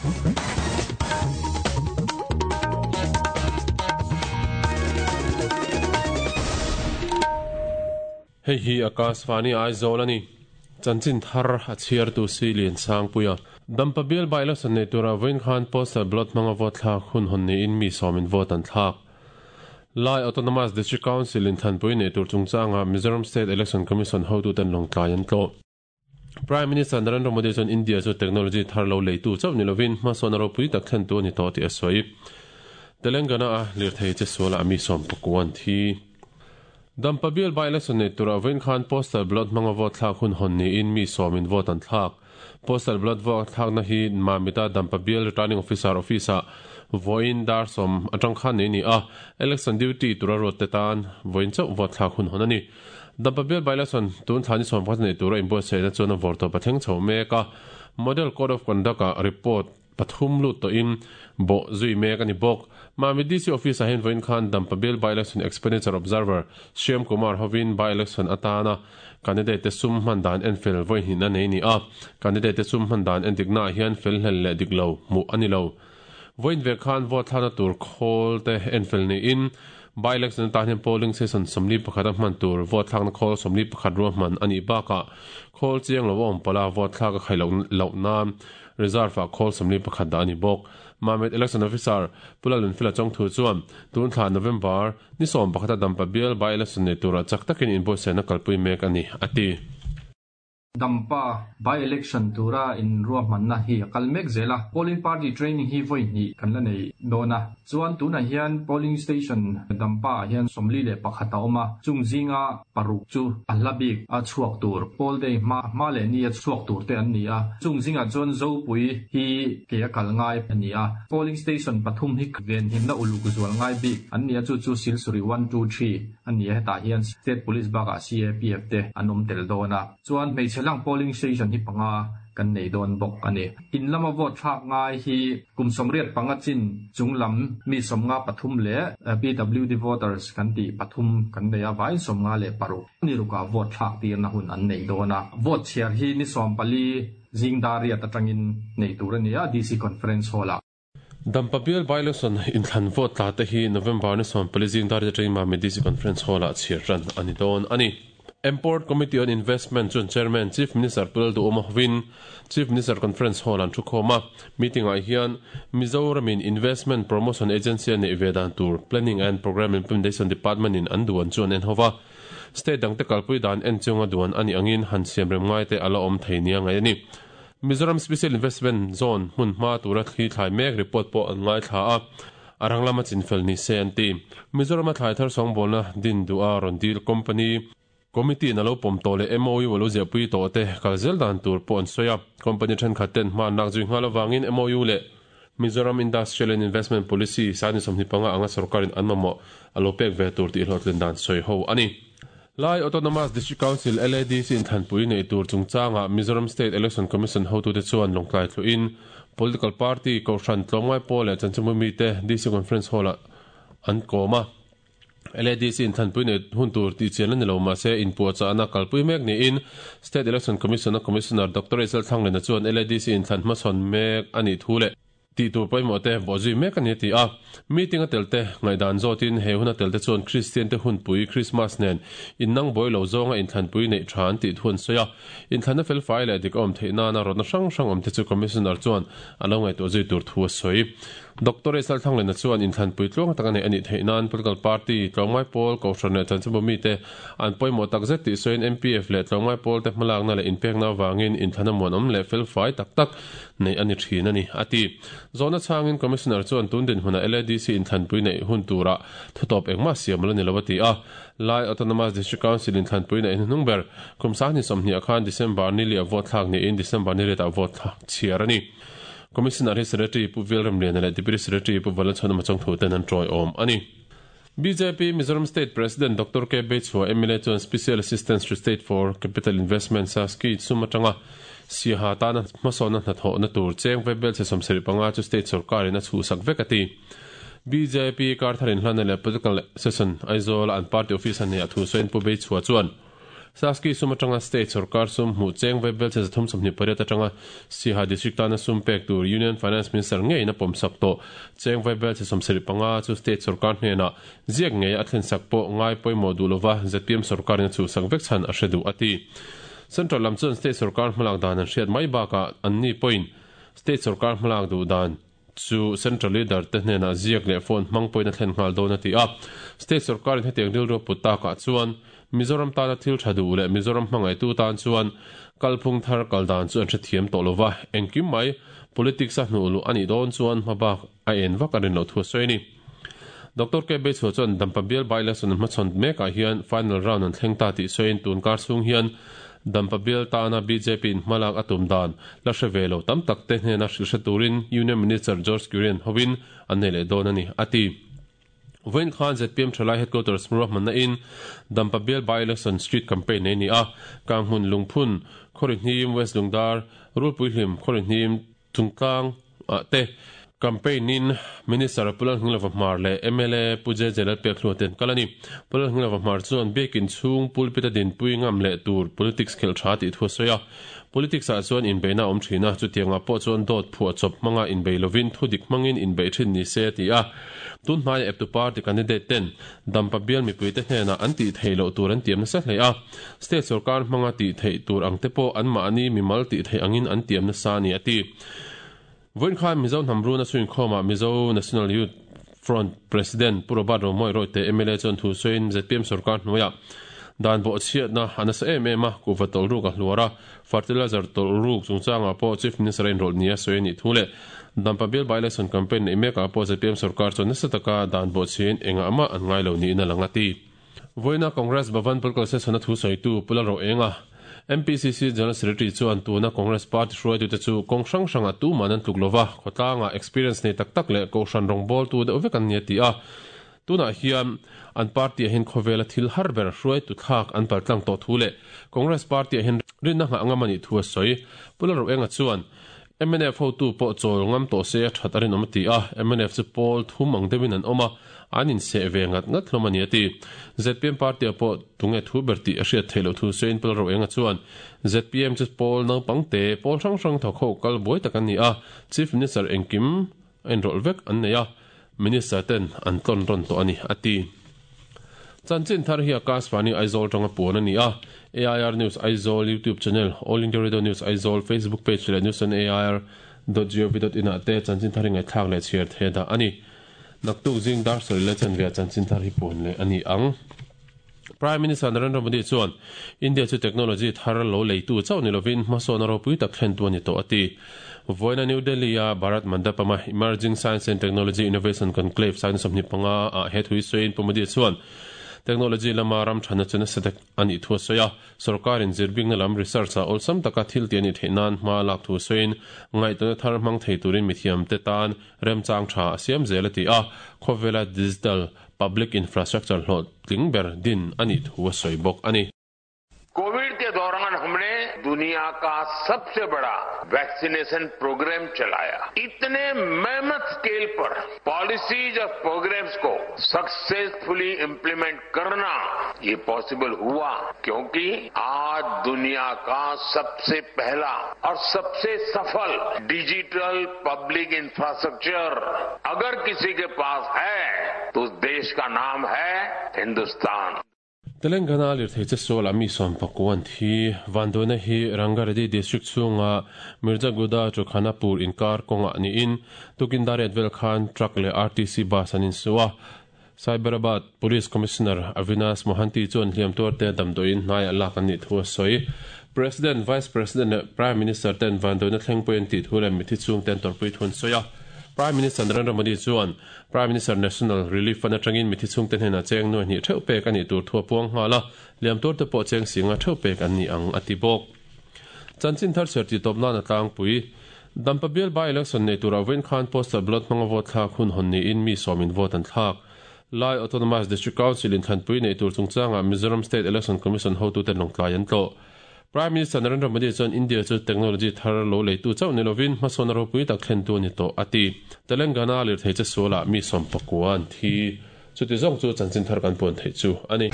Hei hi Akashvani Aizawl a ni. Chanchin thar a chhiartu si Lian Sangpuia. Dampa bial by-election nei tura vawiin khan postal ballot hmanga vote thlak hun hawn niin mi sawmin vote an thlak. Lai Autonomous District Council in thlanpui nei tur chungchanga Mizoram State Election Commission hotuten Lawngtlai an tlawh. Prime Minister Narendra Modi chuan India chu technology thar lo leitu chauh ni lovin hmasawn a ropui tak thlentu a ni tawh tih a sawi. Telangana-a lirthei che sualah mi sawmpakua an thi. Dampa bial by-election nei turah vawiin khan postal ballot hmanga vote thlak hun hawn niin mi sawmin vote an thlak. Postal ballot vote thlakna hi Mamita Dampa bial Returning Officer office-ah vawiin dar sawm atang khan nei a ni a, election duty tura ruatte tan vawiin chauh vote thlak hun hawn a ni. Dampa bial by-election tun thla ni 11 nei tura inbuatsaihna chuan a vawrtawp a thleng chho mek a, Model Code of Conduct-ah report pathum lut tawhin bawh zui mek a ni bawk. Mamit DC Office-ah hian vawiin khan Dampa bial by-election expenditure observer Shyam Kumar hovin by-election atana candidate te sum hman dan enfel vawi hnihna nei a ni a, candidate te sum hman dan endiknaah hian fel hlel leh dik lo hmuh a ni lo. Vawiin ve khan vote thlakna tur khawl te enfel niin by-election atan hian polling station 41 a hman tur vote thlakna khawl 41 ruahman a nih bakah khawl chiang lo a awm palh a, vote thlak a khai loh nan Reserve-ah khawl 41 dah a ni bawk. Mamit Election Officer Pu Lalnunfila Chawngthu chuan tun thla November ni 11 a Dampa bial by-election nei turah chak takin inbuatsaihna kalpui mek a ni, a ti. Dampa by-election tura inruahmanna hi a kal mek zel a, polling party training hi vawi hnih kan la nei dawn a. Chuan tunah hian polling station Dampa ah hian 41 a awm a, chung zinga paruk chu a hla bik a chhuak tur, poll day hma hma leh ni a chhuak tur te an ni a, chung zingah chuan Zopui hi ke a kal ngai a ni a, polling station pathum hi venhimna uluk zual ngai bik an ni a, chu chu Silsuri one two three a ni a, hetah hian State Police bakah CAPF te an awm tel dawn a, chuan hmeichhe lang polling station hi panga kan nei dawn bawk a ni. In lama vote thlak ngai hi kum 85 chin chung lam mi 53 leh PWD voters kan tih pathum kan nei a, vaiin 56 ni rukah vote thlak tirna hun an nei dawn a. Vote chhiar hi ni 14 zing dar riat atangin nei tur a ni a, DC Conference Hall-ah. Dampa bial by-election inthlan vote tla te hi November ni 14 zing dar atangin Mamit DC Conference Hall-ah chhiar ran a ni dawn a ni. Import Committee on Investment chuan Chairman Chief Minister Pu Lalduhawma hovin Chief Minister Conference Hall an thukhawm a. Meeting-ah hian Mizoramin Investment Promotion Agency a neih ve dan tur Planning and Programme Implementation Department-in an duan chu an en ho va. State dangte kalpui dan en chunga duan a nih angin han siamrem ngaite a la awm thei nia ngaih a ni. Mizoram Special Investment Zone hmun hma tura thli thlai mek report pawh an ngaithla a, a rang lama chinfel ni se an ti. Mizorama thlai thar sawngbawlna din duha rawn dil company committee in a lo pawm tawh leh MOU a lo ziahpui tawh te kal zel dan tur pawh an sawi a. Company thenkhat ten hma an lak zui nghal avangin MOU leh Mizoram Industrial and Investment Policy sani 25 anga sorkarin an mamawh a lo pek ve tur tih hlawhtlin dan sawi ho a ni. Lai Autonomous District Council, LADC, inthlanpui neih tur chungchangah Mizoram State Election Commission hotute chuan lawngtlai thluhin political party, kohhran, tlawmngai pawl leh chanchinbu mite DC Conference Hall-ah an kawm a. LADC inthlanpui neih hun tur tih chian a ni lo, mahse inpuahchahna kalpui mek niin State Election Commission-a Commissioner Doctor Isel Thlanglena chuan LADC inthlan hmasawn mek a nih thu leh tih tur pawimawh te bawhzui mek a ni a ti a. Meeting a tel te ngaihdan zawtin he hun a tel te chuan Kristian te hunpui Krismas nen innang buai lo zawnga inthlanpui neih tha an tih thu an sawi a. Inthlanna felfai leh dik a awm theih nana rawtna hrang hrang awm te chu Commissioner chuan a lo ngaihtuah zui tur thu a sawi. Doctor Isal Thanglena chuan inthlanpui tluang tak a neih a nih theih nan political party, tlawmngai pawl, kohhran leh chanchinbu mite an pawimawh tak zet tih sawiin MPF leh tlawmngai pawlte hmalakna leh inpekna avangin inthlan a muanawm leh felfai tak tak neih a ni thin a ni, a ti. Zawhna chhangin Commissioner chuan tun dinhmunah LADC inthlanpui neih hun turah thutawp engmah siam a la ni lo a ti a. Lai Autonomous District Council inthlanpui neih hnuhnung ber kum 2020 ah khan December ni li a vote thlak niin December ni riatah vote thlak chhiar a ni. Commissioner hi Secretary Pu Velremliana leh Deputy Secretary Pu Valanchhuanawma Chawngthu ten an tawiawm a ni. Bjp Mizoram State President Doctor K. Beichhua mla chuan Special Assistance to State for Capital Investment, SASCI, sum atanga Siaha tana hmasawnna hnathawhna tur cheng ve belchhe 75 chu state sorkarin a chhuhsak vek a ti. Bjp Karthar inhlanna leh Political Session Aizawl-a an party office a neih a thu sawiin Pu Beichhua chuan. Saski sum atanga state sorkar sum hmuh cheng vaibelchhe 328 atanga Siaha district tana sum pek tur Union Finance Minister ngeiin a pawmsak tawh. Cheng vaibelchhe 75 chu state sorkar hnenah ziak ngei a thlensak pawh ngai pawimawh duh lova zpm sorkarin a chhuhsak vek chhan a hre duh a ti. Central lam chuan state sorkar hmalak dan an hriat mai bakah anni pawhin state sorkar hmalak duh dan chu central leader te hnenah ziak leh phone hmang pawhin a thlen nghal dawn a ti a. State sorkarin hetiang rilru a put takah chuan Mizoram tana thil tha duh leh Mizoram hmangaihtu tan chuan kalphung thar kal dan chu an hrethiam tawh lova, engkim mai politics a hnuh luh a nih dawn chuan hmabak a en vak a rin loh thu a sawi a ni. Doctor K. Beichhua chuan Dampa bial by-election an hmachhawn mekah hian final round an thleng ta tih sawiin tun kar chhung hian Dampa bial tana bjp in hmalak a tum dan la hre ve lo tam tak te hnena hrilh hre turin Union Minister George Kurian hovin an nei leh dawn a ni, a ti. Vawiin khan zpm Thalai Headquarters ruahmanna in Dampa bial by-election street campaign nei a ni a, Kanghmun Lungphun, Khawrihnim, West Lungdar, Rulpuihlim, Khawrihnim, Chungtlang ah te campaign in Minister Pu Lalhnilova Hmar leh mla Pu JJ Lalpekhlua ten kal a ni. Pu Lalhnilova Hmar chuan biakin chhung pulpit a dinpui ngam leh tur politics khelh tha tih thu a sawi a. Politics ah chuan inbeihna a awm thin a, chutiangah pawh chuan dawt phuah chawp hmanga inbei lovin thudik hmangin inbeih thin ni se a ti a. Tun hnaia eptu party candidate ten Dampa bial mipuite hnenah an tih theih loh tur an tiam nasa hle a, state sorkar hmanga tih theih tur ang te pawh anmahni mimal tih theih angin an tiam nasa a ni, a ti. Vawiin khan Mizo hnam runa chhuinkhawmah Mizo National Youth Front President Pu Robert Romawih Rawite mla chuan thu sawiin zpm sorkar hnuaiah dan bawhchhiatna a nasa em em a, kuhva tawlh ruk a hluar a, Fertilizer tawlh ruk chungchangah pawh Chief Minister a inrawlh nia sawi a nih thu leh Dampa bial by-election campaign neih mekah pawh zpm sorkar chuan nasa taka dan bawhchhiain engah mah an ngai lo niin a lang a ti. Vawiina Congress Bhavan Political Session-a thu sawitu Pu Lalroenga, MPCC General Secretary chuan tuna Congress party hruaitute chu kawng hrang hrangah tuman an tluk lova, khawtlangah experience nei tak tak leh kohhran rawngbawltu deuh vek an ni a ti a. Tunah hian an party-ah hian khawvela thil har ber hruaitu thlak an paltlang tawh thu leh Congress party-ah hian rinna nghah ngam a nih thu a sawi. Pu Lalroenga chuan, mnf hotu pawh chawl ngam tawh se a that a rinawm a ti a, mnf chu pawl thum ang deuhin an awm a, an inseh ve ngat ngat hlawm a ni a ti. Zpm party-ah pawh tunge thu ber tih a hriat theih loh thu sawiin Pu Lalroenga chuan, zpm chu pawl naupang te, pawl hrang hrang thawk ho kal buai tak an ni a, Chief Minister engkim a inrawlh vek an nei a, Minister ten an tlawn rawn tawh a ni, a ti. Chanchin thar hi Akashvani Aizawl tanga puan a ni a, AIR News Aizawl YouTube channel, All India Radio News Aizawl Facebook page leh news on air dot gov dot in ah te chanchin thar hi ngaihthlak leh chhiar thei a dah a ni. Naktuk zing dar sarih leh chanve ah chanchin thar hi puan leh a ni ang. Prime Minister Narendra Modi chuan India chu technology thar lo leitu chauh ni lovin hmasawn a ropui tak thlentu a ni tawh a ti. Vawiina New Delhi-a Bharat Mandapam-a Emerging Science and Technology Innovation Conclave saina 25 ah he thu hi sawiin Pu Modi chuan technology lama ram thana chu nasa tak a nih thu a sawi a. Sorkarin zirbikna lam research-ah awlsam taka thil tih a nih theih nan hma lak thu sawiin ngaihtuahna thar hmang thei turin mithiamte tan remchang tha a siam zel a ti a. Khawvela digital Public infrastructure hlawhtling ber din a nih thu a sawi bawk a ni. Covid के दौरान हमने दुनिया का सबसे बड़ा vaccination programme चलाया। इतने मेहमत स्केल पर पॉलिसीज और प्रोग्राम्स को सक्सेसफुली इम्प्लीमेंट करना ये पॉसिबल हुआ क्योंकि आज दुनिया का सबसे पहला और सबसे सफल digital public infrastructure अगर किसी के पास है तो उस देश का नाम है Hindustan. Telangana lirthei che sualah mi 11 an thi. Vanduaina hi Rangareddy district chhunga Mirzaguda to Khanapur inkar kawngah niin tukin dar riat vel khan truck leh RTC bus an insu a. Cyberabad Police Commissioner Avinash Mohanty chuan hliam tuarte damdawiin hnaiah lak an nih thu a sawi. President, Vice President leh Prime Minister ten vanduaina thleng pawhin an tih thu leh mithi chhungte an tawrhpui thu an sawi a. Prime Minister Narendra Modi chuan Prime Minister National Relief Fund atangin mithi chhungte hnenah cheng nuai hnih theuh pek a nih tur thu a puang nghal a, liam turte pawh cheng singa theuh pek an ni ang a ti bawk. Chanchin thar chhiar tih tawp nan a tlangpui. Dampa bial by-election nei turah vawiin khan postal ballot hmanga vote thlak hun hawn niin mi sawmin vote an thlak. Lai Autonomous District Council in thlanpui nei tur chungchangah Mizoram State Election Commission hotuten lawngtlai an tlawh. Prime Minister Narendra Modi chuan India chu technology thar lo leitu chauh ni lovin hmasawn a ropui tak thlentu a ni tawh a ti. Telangana lirthei che sualah mi 19 an thi. Chuti zawng chu chanchin thar kan puan theih chu a ni.